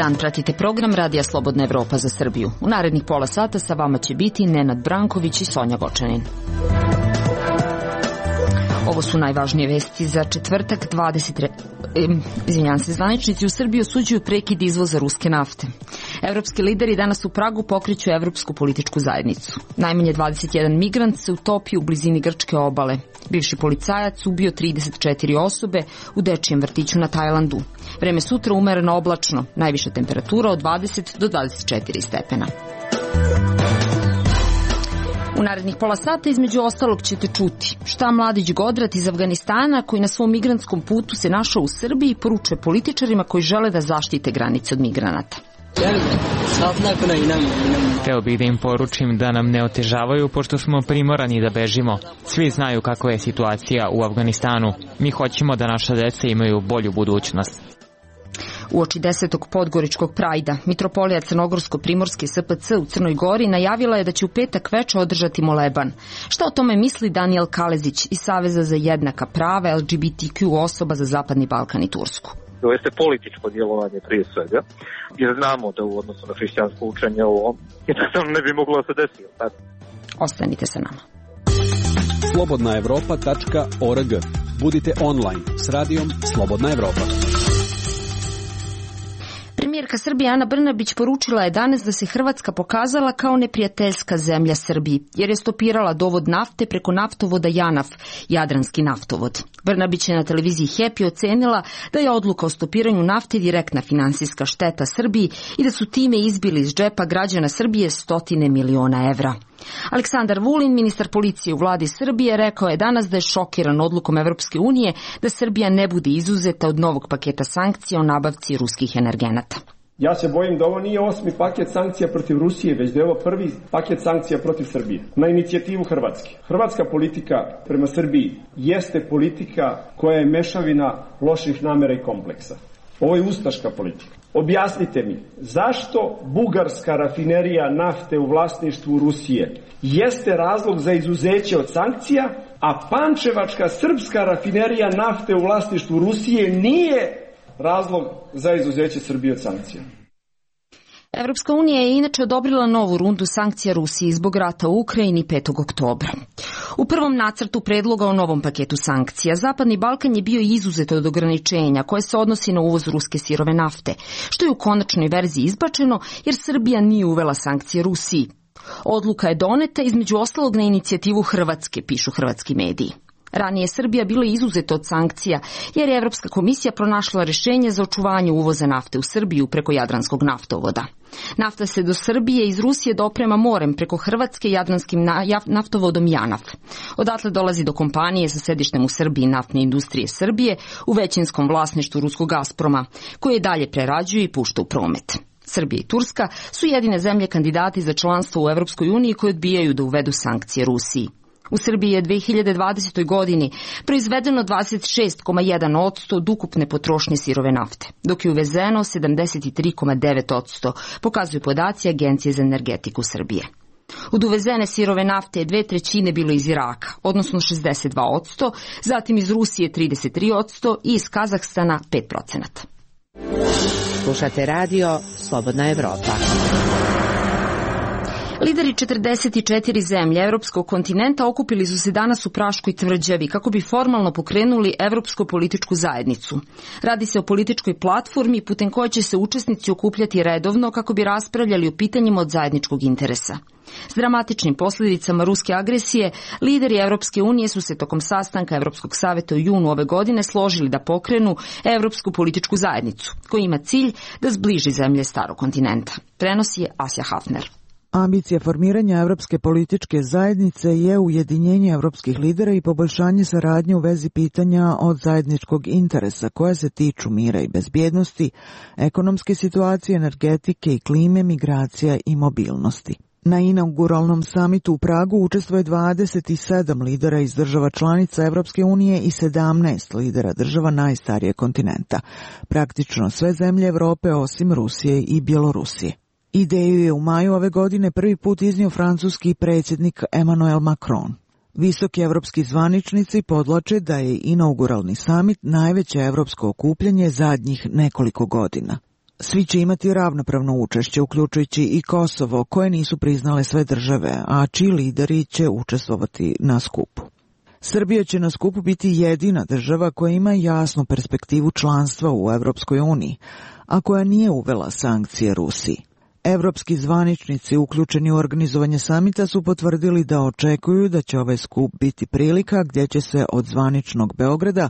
dan pratite program Radija Slobodna Evropa za Srbiju. U narednih pola sata sa vama će biti Nenad Branković i Sonja Gočanin. Ovo su najvažnije vesti za četvrtak 20. Zvaničnici u Srbiji osuđuju prekid izvoza ruske nafte. Evropski lideri danas u Pragu pokreću Evropsku političku zajednicu. Najmanje 21 migrant se utopio u blizini grčke obale. Bivši policajac ubio 34 osobe u dečijem vrtiću na Tajlandu. Vreme sutra umereno oblačno, najviša temperatura od 20 do 24 stepena. U narednih pola sata između ostalog ćete čuti šta Mladić Godrat iz Afganistana, koji na svom migrantskom putu se našao u Srbiji, poručuje političarima koji žele da zaštite granice od migranata. Hteo bih da im poručim da nam ne otežavaju, pošto smo primorani da bežimo. Svi znaju kakva je situacija u Afganistanu. Mi hoćemo da naša deca imaju bolju budućnost. Uoči 10. podgoričkog prajda, mitropolija Crnogorsko-Primorske SPC u Crnoj Gori najavila je da će u petak veče održati moleban. Šta o tome misli Danijel Kalezić iz Saveza za jednaka prava LGBTQ osoba za Zapadni Balkan i Tursku? To jeste političko djelovanje prije svega, jer znamo da u odnosu na hrišćansko učenje ovo jednostavno ne bi moglo da se desiti. Ostanite sa nama. slobodnaevropa.org. Budite online s radijom Slobodna Evropa. Premijerka Srbije Ana Brnabić poručila je danas da se Hrvatska pokazala kao neprijateljska zemlja Srbiji, jer je stopirala dovod nafte preko naftovoda JANAF, Jadranski naftovod. Brnabić je na televiziji Happy ocenila da je odluka o stopiranju nafte direktna finansijska šteta Srbiji i da su time izbili iz džepa građana Srbije 100 miliona evra. Aleksandar Vulin, ministar policije u vladi Srbije, rekao je danas da je šokiran odlukom Evropske unije da Srbija ne bude izuzeta od novog paketa sankcija o nabavci ruskih energenata. Ja se bojim da ovo nije 8. paket sankcija protiv Rusije, već da je ovo prvi paket sankcija protiv Srbije, na inicijativu Hrvatske. Hrvatska politika prema Srbiji jeste politika koja je mešavina loših namera i kompleksa. Ovo je ustaška politika. Objasnite mi, zašto bugarska rafinerija nafte u vlasništvu Rusije jeste razlog za izuzeće od sankcija, a pančevačka srpska rafinerija nafte u vlasništvu Rusije nije razlog za izuzeće Srbije od sankcija? Evropska unija je inače odobrila novu rundu sankcija Rusiji zbog rata u Ukrajini 5. oktobra. U prvom nacrtu predloga o novom paketu sankcija Zapadni Balkan je bio izuzet od ograničenja koje se odnosi na uvoz ruske sirove nafte, što je u konačnoj verziji izbačeno jer Srbija nije uvela sankcije Rusiji. Odluka je doneta između ostalog na inicijativu Hrvatske, pišu hrvatski mediji. Ranije je Srbija bila izuzeta od sankcija jer je Evropska komisija pronašla rješenje za očuvanje uvoza nafte u Srbiju preko Jadranskog naftovoda. Nafta se do Srbije iz Rusije doprema morem preko Hrvatske Jadranskim naftovodom JANAF. Odatle dolazi do kompanije sa sedištem u Srbiji Naftne industrije Srbije u većinskom vlasništvu ruskog Gazproma, koje dalje prerađuje i pušta u promet. Srbija i Turska su jedine zemlje kandidati za članstvo u Evropskoj uniji koje odbijaju da uvedu sankcije Rusiji. U Srbiji je 2020. godini proizvedeno 26,1% od ukupne potrošnje sirove nafte, dok je uvezeno 73,9%, pokazuju podaci Agencije za energetiku Srbije. Od uvezene sirove nafte je 2/3 bilo iz Iraka, odnosno 62%, zatim iz Rusije 33% i iz Kazahstana 5%. Slušate radio Slobodna Evropa. Lideri 44 zemlje evropskog kontinenta okupili su se danas u Praškoj tvrđavi kako bi formalno pokrenuli Evropsku političku zajednicu. Radi se o političkoj platformi putem koje će se učesnici okupljati redovno kako bi raspravljali o pitanjima od zajedničkog interesa. S dramatičnim posljedicama ruske agresije, lideri Evropske unije su se tokom sastanka Evropskog saveta u junu ove godine složili da pokrenu Evropsku političku zajednicu, koja ima cilj da zbliži zemlje starog kontinenta. Prenosi je Asja Hafner. Ambicija formiranja Evropske političke zajednice je ujedinjenje evropskih lidera i poboljšanje saradnje u vezi pitanja od zajedničkog interesa koje se tiču mira i bezbjednosti, ekonomske situacije, energetike i klime, migracija i mobilnosti. Na inauguralnom samitu u Pragu učestvuje 27 lidera iz država članica Evropske unije i 17 lidera država najstarije kontinenta, praktično sve zemlje Evrope osim Rusije i Bjelorusije. Ideju je u maju ove godine prvi put iznio francuski predsjednik Emmanuel Macron. Visoki evropski zvaničnici podvlače da je inauguralni samit najveće evropsko okupljanje zadnjih nekoliko godina. Svi će imati ravnopravno učešće, uključujući i Kosovo, koje nisu priznale sve države, a čiji lideri će učestvovati na skupu. Srbija će na skupu biti jedina država koja ima jasnu perspektivu članstva u Evropskoj uniji, a koja nije uvela sankcije Rusiji. Evropski zvaničnici uključeni u organizovanje samita su potvrdili da očekuju da će ovaj skup biti prilika gdje će se od zvaničnog Beograda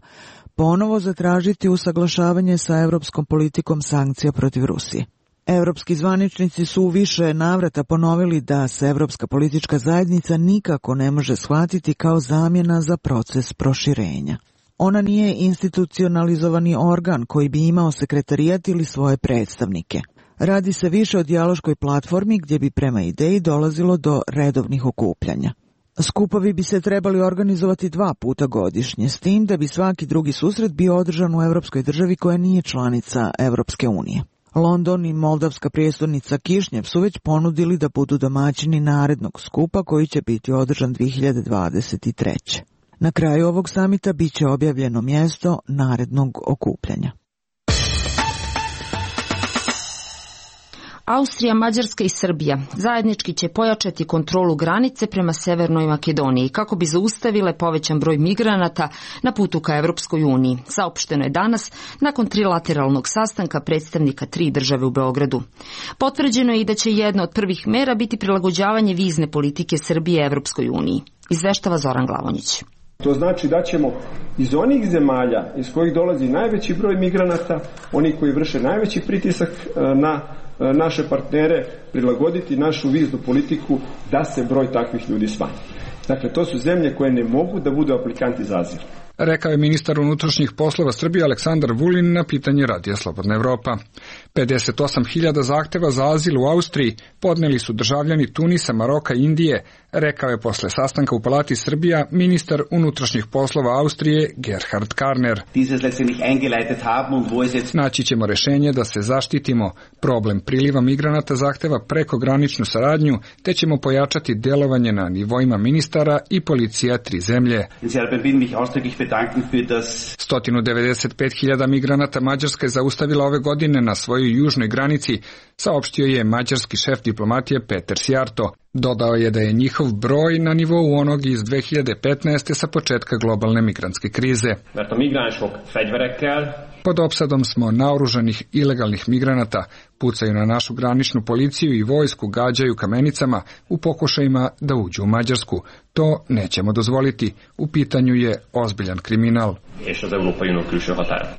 ponovo zatražiti usaglašavanje sa evropskom politikom sankcija protiv Rusije. Evropski zvaničnici su u više navrata ponovili da se Evropska politička zajednica nikako ne može shvatiti kao zamjena za proces proširenja. Ona nije institucionalizovani organ koji bi imao sekretarijat ili svoje predstavnike. Radi se više o dijaloškoj platformi gdje bi prema ideji dolazilo do redovnih okupljanja. Skupovi bi se trebali organizovati 2 puta godišnje, s tim da bi svaki drugi susret bio održan u evropskoj državi koja nije članica Evropske unije. London i moldavska prijestolnica Kišnjev su već ponudili da budu domaćini narednog skupa koji će biti održan 2023. Na kraju ovog samita bit će objavljeno mjesto narednog okupljanja. Austrija, Mađarska i Srbija zajednički će pojačati kontrolu granice prema Severnoj Makedoniji kako bi zaustavile povećan broj migranata na putu ka Evropskoj uniji. Saopšteno je danas nakon trilateralnog sastanka predstavnika 3 države u Beogradu. Potvrđeno je i da će jedna od prvih mera biti prilagođavanje vizne politike Srbije Evropskoj uniji. Izveštava Zoran Glavonjić. To znači da ćemo iz onih zemalja iz kojih dolazi najveći broj migranata, oni koji vrše najveći pritisak na naše partnere, prilagoditi našu viznu politiku da se broj takvih ljudi smanji. Dakle, to su zemlje koje ne mogu da budu aplikanti za azil. Rekao je ministar unutrašnjih poslova Srbije Aleksandar Vulin na pitanje Radija Slobodna Evropa. 58.000 zahteva za azil u Austriji podneli su državljani Tunisa, Maroka i Indije, rekao je posle sastanka u Palati Srbija ministar unutrašnjih poslova Austrije Gerhard Karner. Naći ćemo rešenje da se zaštitimo. Problem priliva migranata zahteva prekograničnu saradnju, te ćemo pojačati delovanje na nivoima ministara i policija 3 zemlje. 195.000 migranata Mađarska je zaustavila ove godine na svojoj južnoj granici, saopštio je mađarski šef diplomatije Peter Sjarto. Dodao je da je njihov broj na nivou onog iz 2015. sa početka globalne migrantske krize. Pod opsadom smo naoružanih ilegalnih migranata, pucaju na našu graničnu policiju i vojsku, gađaju kamenicama u pokušajima da uđu u Mađarsku. To nećemo dozvoliti. U pitanju je ozbiljan kriminal.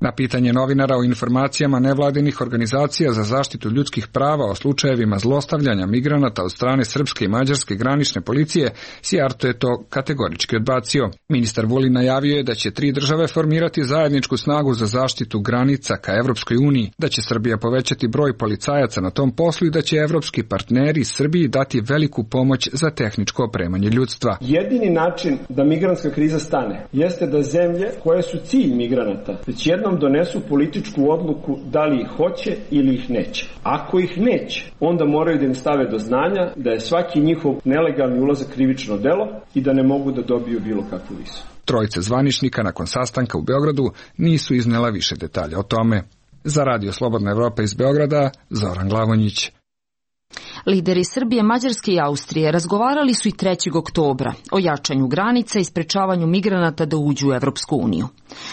Na pitanje novinara o informacijama nevladinih organizacija za zaštitu ljudskih prava o slučajevima zlostavljanja migranata od strane srpske i mađarske granične policije, Sjarto je to kategorički odbacio. Ministar Vulin najavio je da će 3 države formirati zajedničku snagu za zaštitu granica ka Evropskoj uniji, da će Srbija povećati broj policajaca na tom poslu i da će evropski partneri Srbiji dati veliku pomoć za tehničko opremanje ljudstva. Jedini način da migrantska kriza stane jeste da zemlje koje su cilj migranata već jednom donesu političku odluku da li ih hoće ili ih neće. Ako ih neće, onda moraju da im stave do znanja da je svaki njihov nelegalni ulazak krivično delo i da ne mogu da dobiju bilo kakvu vizu. Trojica zvaničnika nakon sastanka u Beogradu nisu iznela više detalja o tome. Za Radio Slobodna Evropa iz Beograda, Zoran Glavonjić. Lideri Srbije, Mađarske i Austrije razgovarali su i 3. oktobra o jačanju granica i sprečavanju migranata da uđu u Evropsku uniju.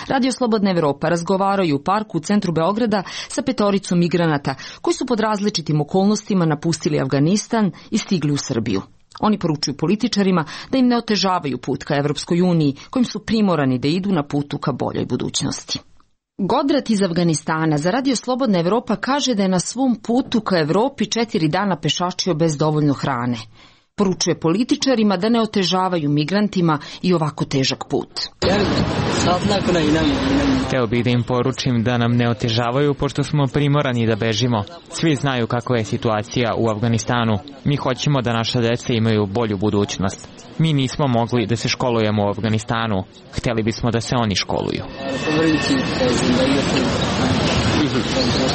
Radio Slobodna Evropa razgovarao u parku u centru Beograda sa 5 migranata koji su pod različitim okolnostima napustili Afganistan i stigli u Srbiju. Oni poručuju političarima da im ne otežavaju put ka Evropskoj uniji, kojim su primorani da idu na putu ka boljoj budućnosti. Godrat iz Afganistana za Radio Slobodna Evropa kaže da je na svom putu ka Evropi 4 dana pešačio bez dovoljno hrane. Poručuje političarima da ne otežavaju migrantima i ovako težak put. Hteo bih da im poručim da nam ne otežavaju pošto smo primorani da bežimo. Svi znaju kakva je situacija u Afganistanu. Mi hoćemo da naša deca imaju bolju budućnost. Mi nismo mogli da se školujemo u Afganistanu. Hteli bismo da se oni školuju.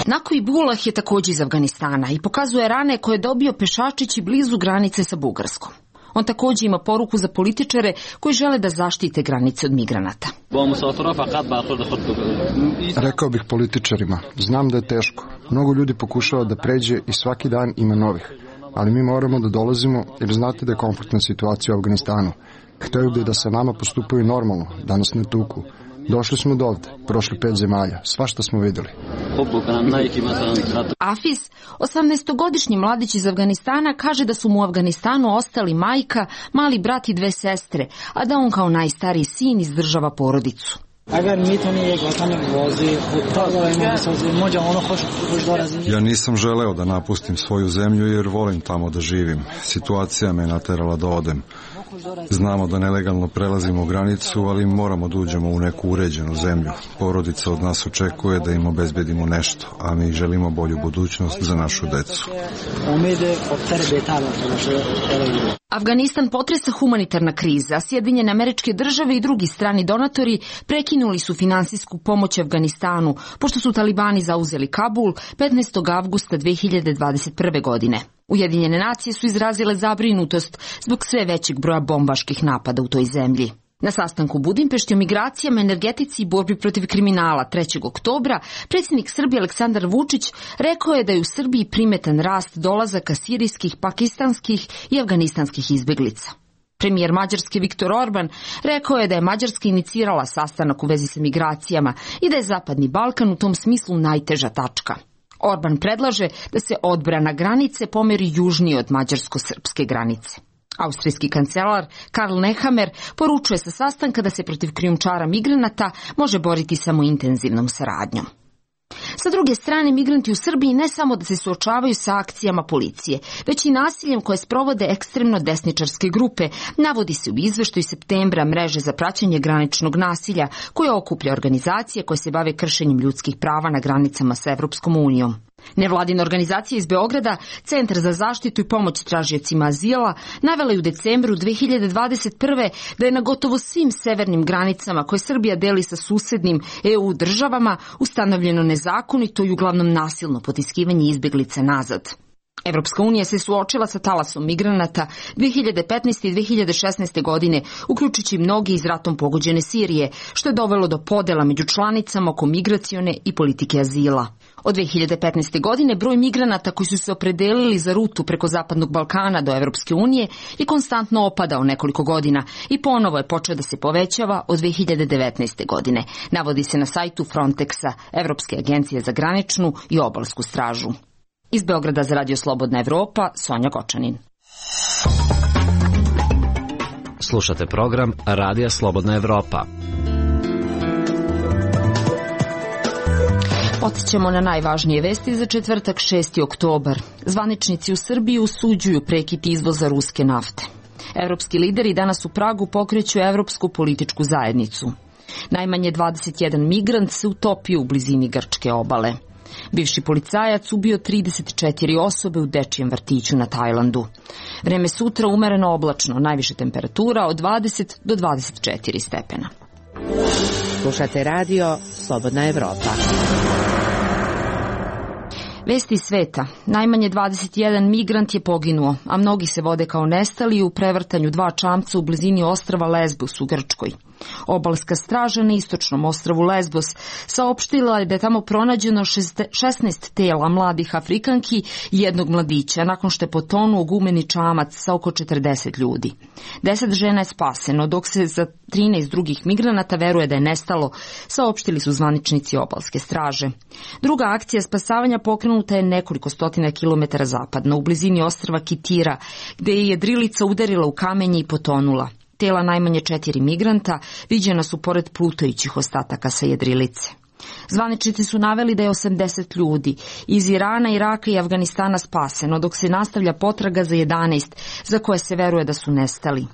Nako Ibullah je također iz Afganistana i pokazuje rane koje je dobio pešačići blizu granice sa Bugarskom. On takođe ima poruku za političare koji žele da zaštite granice od migranata. Rekao bih političarima, znam da je teško. Mnogo ljudi pokušava da pređe i svaki dan ima novih. Ali mi moramo da dolazimo jer znate da je konfliktna situacija u Afganistanu. Hteo bi da sa nama postupaju normalno, da nas ne tuku. Došli smo do ovde, prošli 5 zemalja, svašta smo videli. Afiz, 18-godišnji mladić iz Afganistana, kaže da su mu u Afganistanu ostali majka, mali brat i 2 sestre, a da on kao najstariji sin izdržava porodicu. Ja nisam želeo da napustim svoju zemlju jer volim tamo da živim. Situacija me naterala da odem. Znamo da nelegalno prelazimo granicu, ali moramo da uđemo u neku uređenu zemlju. Porodica od nas očekuje da im obezbedimo nešto, a mi želimo bolju budućnost za našu decu. Afganistan potresa humanitarna kriza, a Sjedinjene Američke Države i drugi strani donatori prekinuli su finansijsku pomoć Afganistanu, pošto su talibani zauzeli Kabul 15. avgusta 2021. godine. Ujedinjene nacije su izrazile zabrinutost zbog sve većeg broja bombaških napada u toj zemlji. Na sastanku u Budimpešti o migracijama, energetici i borbi protiv kriminala 3. oktobra predsjednik Srbije Aleksandar Vučić rekao je da je u Srbiji primetan rast dolazaka sirijskih, pakistanskih i afganistanskih izbeglica. Premijer Mađarske Viktor Orban rekao je da je Mađarska inicirala sastanak u vezi sa migracijama i da je Zapadni Balkan u tom smislu najteža tačka. Orban predlaže da se odbrana granice pomeri južnije od mađarsko-srpske granice. Austrijski kancelar Karl Nehammer poručuje sa sastanka da se protiv krijumčara migranata može boriti samo intenzivnom saradnjom. Sa druge strane, migranti u Srbiji ne samo da se suočavaju sa akcijama policije, već i nasiljem koje sprovode ekstremno desničarske grupe, navodi se u izveštaju septembra mreže za praćenje graničnog nasilja, koja okuplja organizacije koje se bave kršenjem ljudskih prava na granicama sa Evropskom unijom. Nevladina organizacija iz Beograda, Centar za zaštitu i pomoć tražiocima azila, navela je u decembru 2021. da je na gotovo svim severnim granicama koje Srbija deli sa susednim EU državama ustanovljeno nezakonito i uglavnom nasilno potiskivanje izbeglica nazad. Evropska unija se suočila sa talasom migranata 2015. i 2016. godine, uključujući mnogi iz ratom pogođene Sirije, što je dovelo do podela među članicama oko migracione i politike azila. Od 2015. godine broj migranata koji su se opredelili za rutu preko Zapadnog Balkana do Evropske unije je konstantno opadao nekoliko godina i ponovo je počeo da se povećava od 2019. godine, navodi se na sajtu Frontexa, Evropske agencije za graničnu i obalsku stražu. Iz Beograda za Radio Slobodna Evropa, Sonja Gočanin. Slušate program Radija Slobodna Evropa. Podsjećamo na najvažnije vesti za četvrtak 6. oktobar. Zvaničnici u Srbiji osuđuju prekid izvoza ruske nafte. Evropski lideri danas u Pragu pokreću Evropsku političku zajednicu. Najmanje 21 migrant se utopio u blizini grčke obale. Bivši policajac ubio 34 osobe u dečijem vrtiću na Tajlandu. Vreme sutra umereno oblačno, najviše temperatura od 20 do 24 stepena. Slušate radio Slobodna Evropa. Vesti iz sveta. Najmanje 21 migrant je poginuo, a mnogi se vode kao nestali u prevrtanju 2 čamca u blizini ostrva Lesbos u Grčkoj. Obalska straža na istočnom ostrvu Lesbos saopštila je da je tamo pronađeno 16 tela mladih Afrikanki i jednog mladića nakon što je potonuo gumeni čamac sa oko 40 ljudi. 10 žena je spaseno, dok se za 13 drugih migranata veruje da je nestalo, saopštili su zvaničnici obalske straže. Druga akcija spasavanja pokrenuta je nekoliko stotina kilometara zapadno, u blizini ostrva Kitira, gde je jedrilica udarila u kamenje i potonula. Tela najmanje 4 migranta viđena su pored plutajućih ostataka sa jedrilice. Zvaničnici su naveli da je 80 ljudi iz Irana, Iraka i Afganistana spaseno, dok se nastavlja potraga za 11 za koje se veruje da su nestali.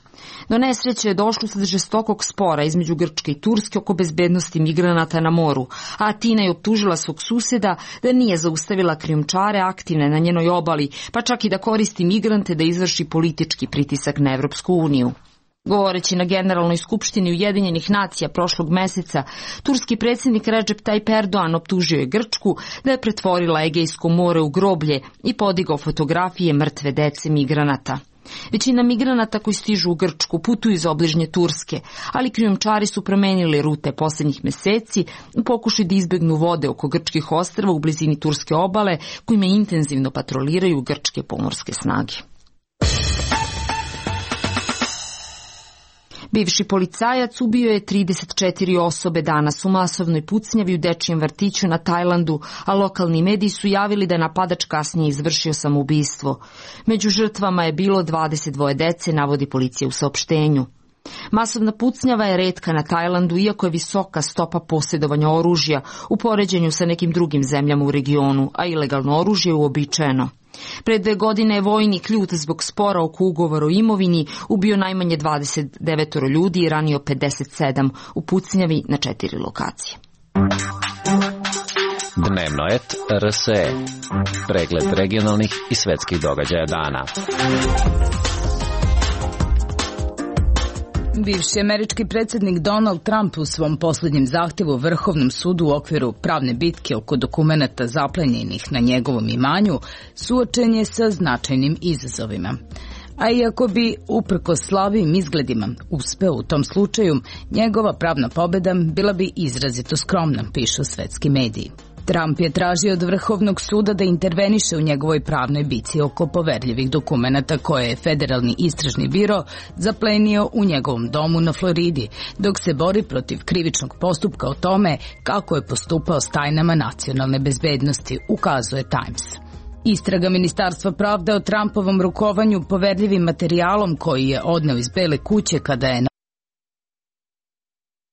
Do nesreće je došlo usled žestokog spora između Grčke i Turske oko bezbednosti migranata na moru, a Atina je optužila svog suseda da nije zaustavila krijumčare aktivne na njenoj obali, pa čak i da koristi migrante da izvrši politički pritisak na Evropsku uniju. Govoreći na Generalnoj skupštini Ujedinjenih nacija prošlog meseca, turski predsjednik Recep Tayyip Erdogan optužio je Grčku da je pretvorila Egejsko more u groblje i podigao fotografije mrtve dece migranata. Većina migranata koji stižu u Grčku putuju iz obližnje Turske, ali krijumčari su promenili rute poslednjih meseci u pokušaju da izbegnu vode oko grčkih ostrva u blizini turske obale, kojima intenzivno patroliraju grčke pomorske snage. Bivši policajac ubio je 34 osobe danas u masovnoj pucnjavi u dečijem vrtiću na Tajlandu, a lokalni mediji su javili da je napadač kasnije izvršio samoubistvo. Među žrtvama je bilo 22 dece, navodi policija u saopštenju. Masovna pucnjava je retka na Tajlandu, iako je visoka stopa posjedovanja oružja u poređenju sa nekim drugim zemljama u regionu, a ilegalno oružje je uobičajeno. Pre 2 godine je vojnik ljut zbog spora oko ugovora o imovini ubio najmanje 29 ljudi i ranio 57 u pucnjavi na 4 lokacije. Dnevno et RSE. Pregled regionalnih i svetskih događaja dana. Bivši američki predsjednik Donald Trump u svom posljednjem zahtjevu Vrhovnom sudu u okviru pravne bitke oko dokumenata zaplenjenih na njegovom imanju suočen je sa značajnim izazovima. A iako bi, uprkos slabijim izgledima, uspeo u tom slučaju, njegova pravna pobjeda bila bi izrazito skromna, pišu svetski mediji. Trump je tražio od Vrhovnog suda da interveniše u njegovoj pravnoj bici oko poverljivih dokumenata koje je Federalni istražni biro zaplenio u njegovom domu na Floridi, dok se bori protiv krivičnog postupka o tome kako je postupao s tajnama nacionalne bezbednosti, ukazuje Times. Istraga Ministarstva pravde o Trumpovom rukovanju poverljivim materijalom koji je odneo iz Bele kuće kada je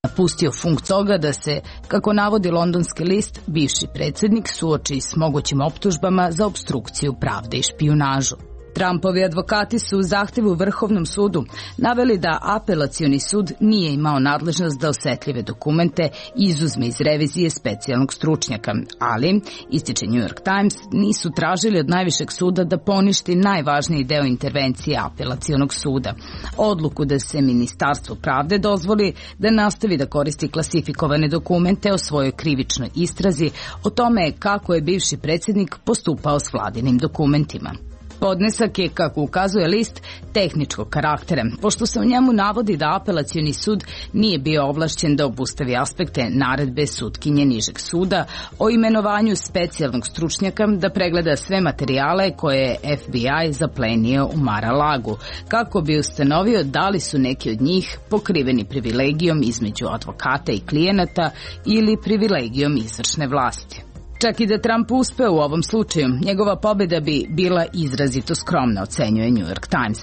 napustio funkciju toga da se, kako navodi londonski list, bivši predsjednik suoči s mogućim optužbama za opstrukciju pravde i špijunažu. Trumpovi advokati su u zahtjevu Vrhovnom sudu naveli da apelacioni sud nije imao nadležnost da osetljive dokumente izuzme iz revizije specijalnog stručnjaka, ali, ističe New York Times, nisu tražili od najvišeg suda da poništi najvažniji deo intervencije apelacionog suda. Odluku da se Ministarstvu pravde dozvoli da nastavi da koristi klasifikovane dokumente o svojoj krivičnoj istrazi o tome kako je bivši predsjednik postupao s vladinim dokumentima. Podnesak je, kako ukazuje list, tehničkog karaktera, pošto se u njemu navodi da apelacioni sud nije bio ovlašćen da obustavi aspekte naredbe sutkinje nižeg suda o imenovanju specijalnog stručnjaka da pregleda sve materijale koje je FBI zaplenio u Mar-a-Lagu, kako bi ustanovio da li su neki od njih pokriveni privilegijom između advokata i klijenata ili privilegijom izvršne vlasti. Čak i da Trump uspeo u ovom slučaju, njegova pobjeda bi bila izrazito skromna, ocenjuje New York Times,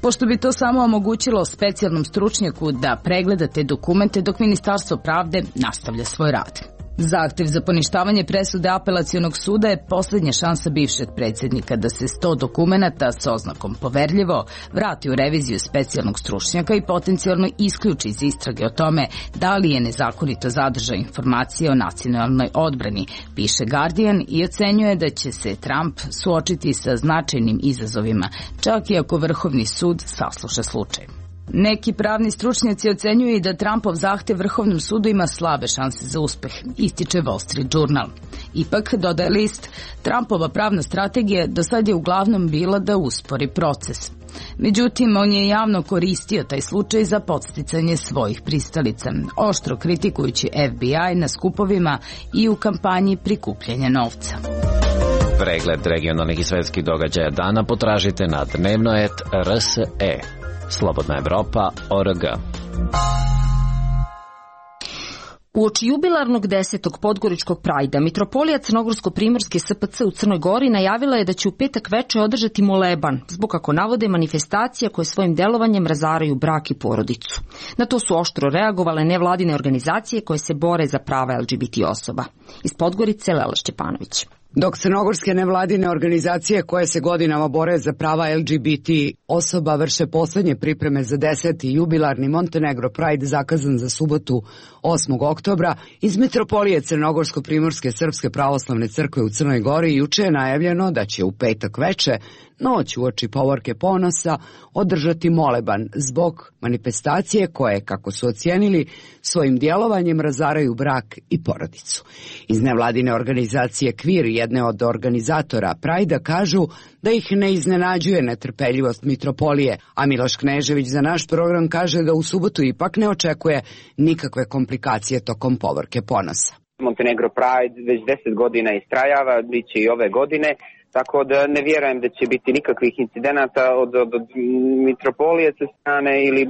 pošto bi to samo omogućilo specijalnom stručnjaku da pregleda te dokumente dok Ministarstvo pravde nastavlja svoj rad. Zahtev za poništavanje presude apelacionog suda je posljednja šansa bivšeg predsjednika da se 100 dokumenata s oznakom poverljivo vrati u reviziju specijalnog stručnjaka i potencijalno isključi iz istrage o tome da li je nezakonito zadržao informacije o nacionalnoj odbrani, piše Guardian, i ocenjuje da će se Trump suočiti sa značajnim izazovima, čak i ako Vrhovni sud sasluša slučaj. Neki pravni stručnjaci ocenjuju i da Trumpov zahtev Vrhovnom sudu ima slabe šanse za uspeh, ističe Wall Street Journal. Ipak, dodaje list, Trumpova pravna strategija do sad je uglavnom bila da uspori proces. Međutim, on je javno koristio taj slučaj za podsticanje svojih pristalica, oštro kritikujući FBI na skupovima i u kampanji prikupljanja novca. Pregled regionalnih i svetskih događaja dana potražite na dnevnoet.rse. Slobodna Evropa.org. Uoči jubilarnog 10. podgoričkog prajda, mitropolija Crnogorsko-primorske SPC u Crnoj Gori najavila je da će u petak veče održati moleban, zbog, kako navode, manifestacija koje svojim delovanjem razaraju brak i porodicu. Na to su oštro reagovale nevladine organizacije koje se bore za prava LGBT osoba. Iz Podgorice, Lela Šćepanović. Dok crnogorske nevladine organizacije koje se godinama bore za prava LGBT osoba vrše poslednje pripreme za 10. jubilarni Montenegro Pride zakazan za subotu 8. oktobra, iz mitropolije Crnogorsko-primorske Srpske pravoslavne crkve u Crnoj Gori juče je najavljeno da će u petak veče, noć uoči Povorke ponosa, održati moleban zbog manifestacije koje, kako su ocijenili, svojim djelovanjem razaraju brak i porodicu. Iz nevladine organizacije Kvir jedne od organizatora Prajda kažu da ih ne iznenađuje netrpeljivost mitropolije, a Miloš Knežević za naš program kaže da u subotu ipak ne očekuje nikakve komplikacije tokom povorke ponosa. Montenegro Pride već 10 godina istrajava, bit će i ove godine, tako da ne vjerujem da će biti nikakvih incidenata od mitropolije sa strane ili,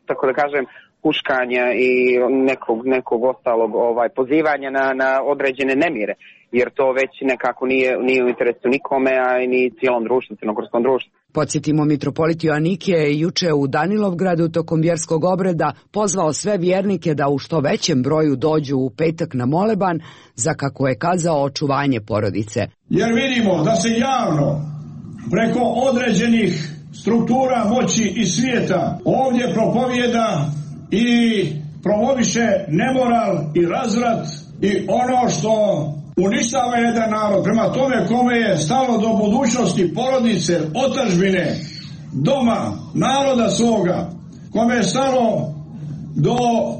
tako da kažem, huškanja i nekog ostalog pozivanja na određene nemire, jer to već nekako nije u interesu nikome, a i ni cijelom društvu, crnogorskom društvu. Podsjetimo, mitropolit Joanikije je juče u Danilovgradu tokom vjerskog obreda pozvao sve vjernike da u što većem broju dođu u petak na moleban za, kako je kazao, očuvanje porodice. Jer vidimo da se javno preko određenih struktura moći i svijeta ovdje propovijeda i promoviše nemoral i razvrat i ono što uništava jedan narod. Prema tome, kome je stalo do budućnosti porodice, otadžbine, doma, naroda svoga, kome je stalo do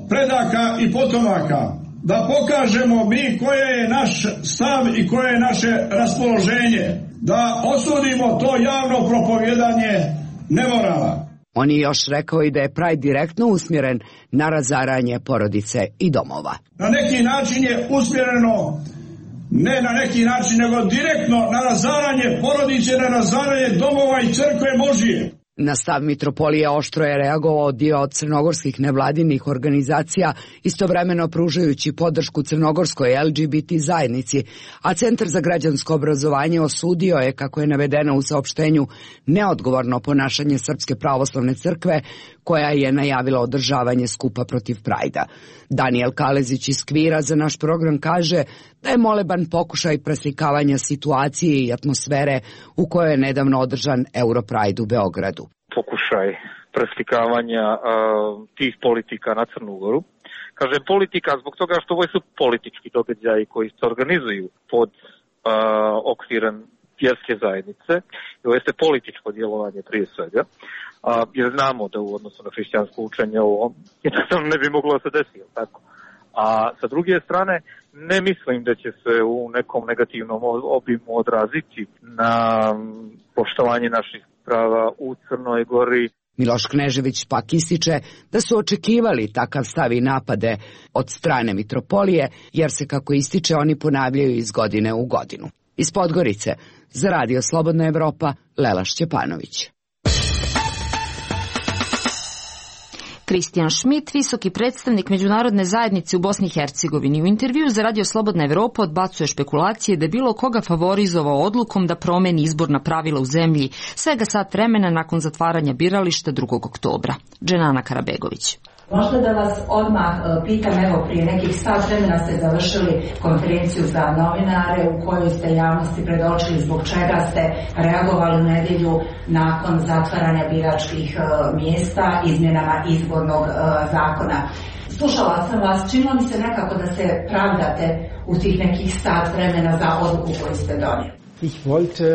predaka i potomaka, da pokažemo mi koje je naš stav i koje je naše raspoloženje, da osudimo to javno propovjedanje nemorala. On je još rekao i da je Pride direktno usmjeren na razaranje porodice i domova. Na neki način je usmjereno, ne na neki način, nego direktno na razaranje porodice, na razaranje domova i crkve Božije. Na stav mitropolije oštro je reagovao dio crnogorskih nevladinih organizacija, istovremeno pružajući podršku crnogorskoj LGBT zajednici, a Centar za građansko obrazovanje osudio je, kako je navedeno u saopštenju, neodgovorno ponašanje Srpske pravoslavne crkve, koja je najavila održavanje skupa protiv Prajda. Danijel Kalezić iz Kvira za naš program kaže da je moleban pokušaj preslikavanja situacije i atmosfere u kojoj je nedavno održan Europride u Beogradu. Pokušaj preslikavanja tih politika na Crnu Goru. Kažem politika zbog toga što ovo su politički događaji koji se organizuju pod okvirom vjerske zajednice. Ovo jeste političko djelovanje prije svega. Jer znamo da u odnosu na hrišćansko učenje ovo jednostavno ne bi moglo se desiti, tako. A sa druge strane, ne mislim da će se u nekom negativnom obimu odraziti na poštovanje naših prava u Crnoj Gori. Miloš Knežević pak ističe da su očekivali takav stav i napade od strane mitropolije, jer se, kako ističe, oni ponavljaju iz godine u godinu. Iz Podgorice, za Radio Slobodna Evropa, Lela Šćepanović. Kristijan Šmit, visoki predstavnik međunarodne zajednice u Bosni i Hercegovini, u intervju za Radio Slobodna Evropa odbacuje špekulacije da je bilo koga favorizovao odlukom da promeni izborna pravila u zemlji svega sat vremena nakon zatvaranja birališta 2. oktobra. Dženana Karabegović. Možda da vas odmah pitam, evo prije nekih sat vremena ste završili konferenciju za novinare u kojoj ste javnosti predočili zbog čega ste reagovali u nedjelju nakon zatvaranja biračkih mjesta izmjenama izbornog zakona. Slušala sam vas, činilo mi se nekako da se pravdate u tih nekih sat vremena za odluku koju ste donijeli.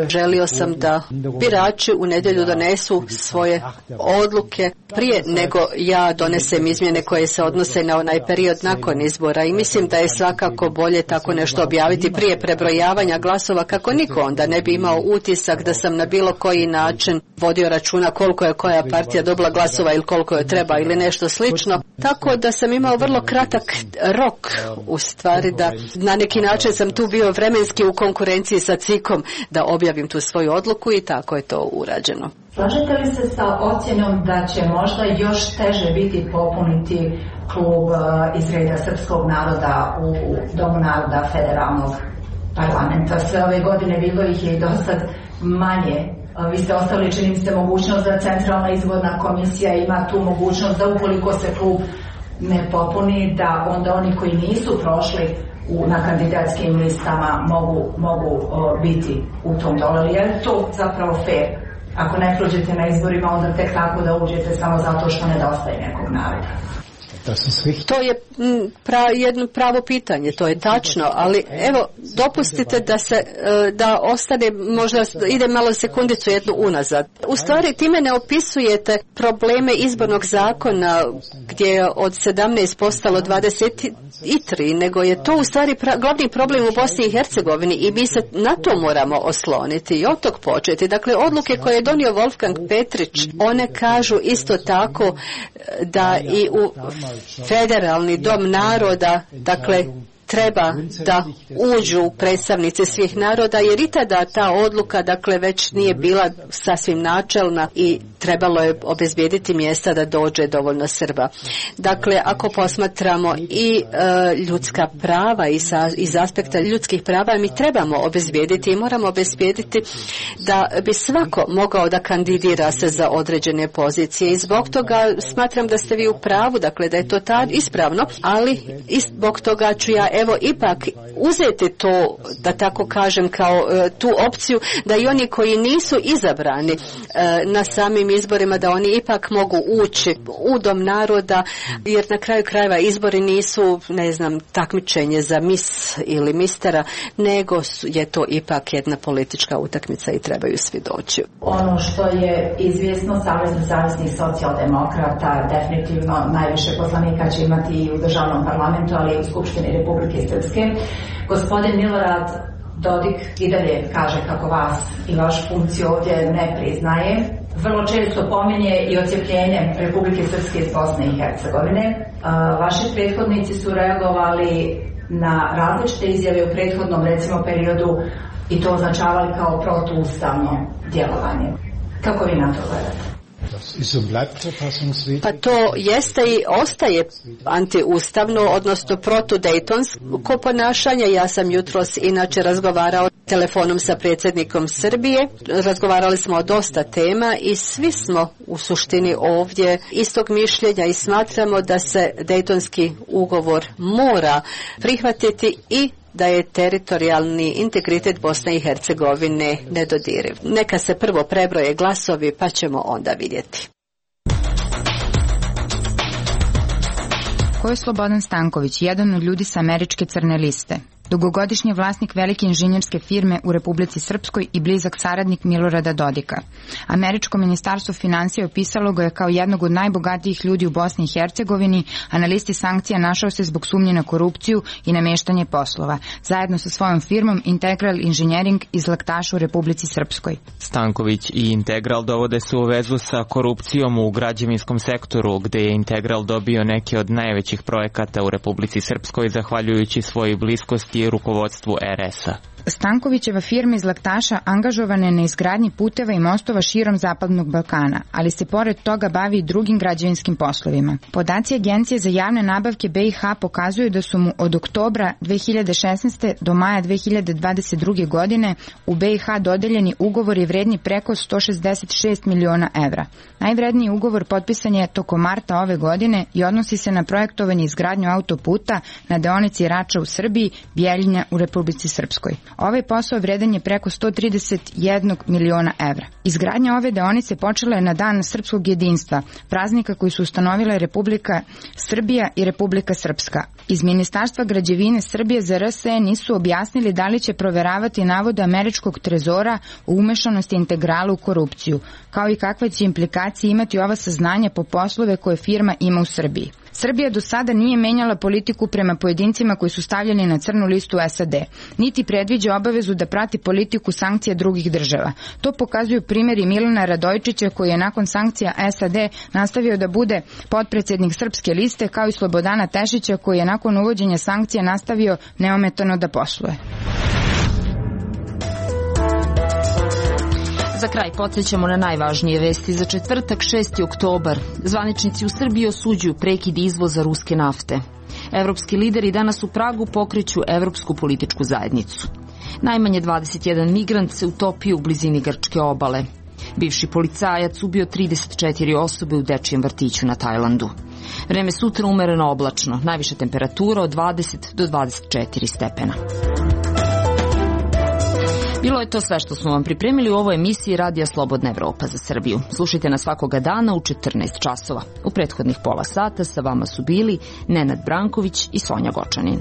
Želio sam da birači u nedjelju donesu svoje odluke prije nego ja donesem izmjene koje se odnose na onaj period nakon izbora i mislim da je svakako bolje tako nešto objaviti prije prebrojavanja glasova kako niko onda ne bi imao utisak da sam na bilo koji način vodio računa koliko je koja partija dobila glasova ili koliko je treba ili nešto slično. Tako da sam imao vrlo kratak rok, u stvari da na neki način sam tu bio vremenski u konkurenciji sa CIK-om da objavim tu svoju odluku i tako je to urađeno. Slažete li se sa ocjenom da će možda još teže biti popuniti klub iz reda srpskog naroda u Domu naroda federalnog parlamenta? Sve ove godine bilo ih je i dosad manje. Vi ste ostavili, čini mi se, mogućnost da Centralna izborna komisija ima tu mogućnost da ukoliko se klub ne popuni, da onda oni koji nisu prošli na kandidatskim listama mogu biti u tom dolu. Je to zapravo fair? Ako ne prođete na izborima, onda tek tako da uđete samo zato što nedostaje nekog naroda. To je jedno pravo pitanje, to je tačno, ali evo, dopustite da ostane, možda ide malo sekundicu jednu unazad. U stvari, time ne opisujete probleme izbornog zakona gdje je od 17 postalo 23, nego je to u stvari glavni problem u Bosni i Hercegovini i mi se na to moramo osloniti i od tog početi. Dakle, odluke koje je donio Wolfgang Petrić, one kažu isto tako da i u Federalni dom naroda, dakle, treba da uđu predstavnici svih naroda, jer i tada ta odluka, dakle, već nije bila sasvim načelna i trebalo je obezbijediti mjesta da dođe dovoljno Srba. Dakle, ako posmatramo i ljudska prava iz aspekta ljudskih prava, mi trebamo obezbijediti i moramo obezbijediti da bi svako mogao da kandidira se za određene pozicije i zbog toga smatram da ste vi u pravu, dakle, da je to ispravno, ali i zbog toga ću ja ipak uzeti to, da tako kažem, kao tu opciju da i oni koji nisu izabrani na samim izborima, da oni ipak mogu ući u Dom naroda, jer na kraju krajeva izbori nisu, ne znam, takmičenje za mis ili mistera, nego je to ipak jedna politička utakmica i trebaju svi doći. Ono što je izvjesno, Savez nezavisnih socijaldemokrata definitivno najviše poslanika će imati i u državnom parlamentu, ali i u Skupštini Republike Srpske. Gospodin Milorad Dodik i dalje kaže kako vas i vašu funkciju ovdje ne priznaje. Vrlo često pominje i odcjepljenje Republike Srpske iz Bosne i Hercegovine. Vaši prethodnici su reagovali na različite izjave u prethodnom, recimo, periodu i to označavali kao protuustavno djelovanje. Kako vi na to gledate? Pa to jeste i ostaje antiustavno, odnosno protudejtonsko ponašanje. Ja sam jutros inače razgovarao telefonom sa predsjednikom Srbije. Razgovarali smo o dosta tema i svi smo u suštini ovdje istog mišljenja i smatramo da se Dejtonski ugovor mora prihvatiti i da je teritorijalni integritet Bosne i Hercegovine nedodiriv. Neka se prvo prebroje glasovi pa ćemo onda vidjeti. Ko je Slobodan Stanković, jedan od ljudi sa američke crne liste? Dugogodišnji vlasnik velike inženjerske firme u Republici Srpskoj i blizak saradnik Milorada Dodika. Američko ministarstvo finansija opisalo ga je kao jednog od najbogatijih ljudi u Bosni i Hercegovini, a na listi sankcija našao se zbog sumnje na korupciju i nameštanje poslova, zajedno sa svojom firmom Integral Engineering iz Laktaša u Republici Srpskoj. Stanković i Integral dovode se u vezu sa korupcijom u građevinskom sektoru, gde je Integral dobio neke od najvećih projekata u Republici Srpskoj, zahvaljujući svojoj bliskosti i rukovodstvu RS-a. Stankovićeva firma iz Laktaša angažovana je na izgradnji puteva i mostova širom Zapadnog Balkana, ali se pored toga bavi i drugim građevinskim poslovima. Podaci Agencije za javne nabavke BiH pokazuju da su mu od oktobra 2016. do maja 2022. godine u BiH dodeljeni ugovori vredni preko 166 miliona evra. Najvredniji ugovor potpisan je tokom marta ove godine i odnosi se na projektovanje i izgradnju autoputa na deonici Rača u Srbiji, Bjeljina u Republici Srpskoj. Ovaj posao vredan je preko 131 miliona evra. Izgradnja ove deonice počela je na Dan srpskog jedinstva, praznika koji su ustanovile Republika Srbija i Republika Srpska. Iz Ministarstva građevine Srbije za RSE nisu objasnili da li će proveravati navode američkog trezora o umešanosti Integrala u korupciju, kao i kakve će implikacije imati ova saznanja po poslove koje firma ima u Srbiji. Srbija do sada nije menjala politiku prema pojedincima koji su stavljeni na crnu listu SAD, niti predviđa obavezu da prati politiku sankcija drugih država. To pokazuju primjeri Milana Radojčića koji je nakon sankcija SAD nastavio da bude potpredsjednik Srpske liste, kao i Slobodana Tešića koji je nakon uvođenja sankcija nastavio neometano da posluje. Za kraj podsjećamo na najvažnije vesti za četvrtak 6. oktobar. Zvaničnici u Srbiji osuđuju prekid izvoza ruske nafte. Evropski lideri danas u Pragu pokreću Evropsku političku zajednicu. Najmanje 21 migrant se utopio u blizini grčke obale. Bivši policajac ubio 34 osobe u dečijem vrtiću na Tajlandu. Vreme sutra umereno oblačno, najviša temperatura od 20 do 24 stepena. Bilo je to sve što smo vam pripremili u ovoj emisiji Radija Slobodna Evropa za Srbiju. Slušajte nas svakoga dana u 14 časova. U prethodnih pola sata sa vama su bili Nenad Branković i Sonja Gočanin.